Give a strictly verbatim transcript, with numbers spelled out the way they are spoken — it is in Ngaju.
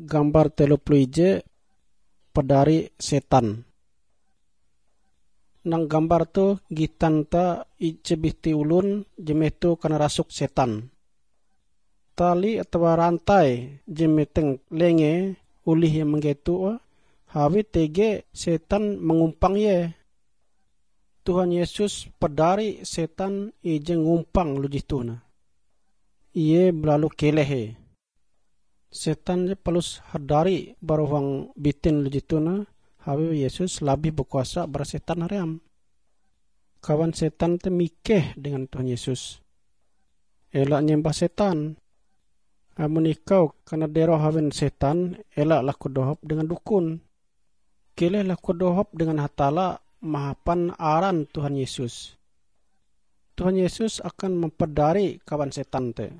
Gambar telo puluh ije, padari setan. Nang gambar tu gitan ta ije biti ulun je meto kanarasuk setan. Tali atawa rantai je meteng lenge olih ie manggetoe, awi tege setan mangumpang ie. Tuhan Yesus padari setan ije ngumpang lujih toh nah. Ie balalu keleh ie. Setan je palus hadari bara huang bitin lujih toh nah, awi Yesus labih bakuasa bara setan haream. Kawan setan te mikeh dengan Tuhan Yesus, "Ela nyembah setan. Amon ikau kanadero hawen setan, ela lakudohop dengan dukun. Keleh lakudohop dengan Hatalla mahapan aran Tuhan Yesus." Tuhan Yesus akan mampadari kawan setan te.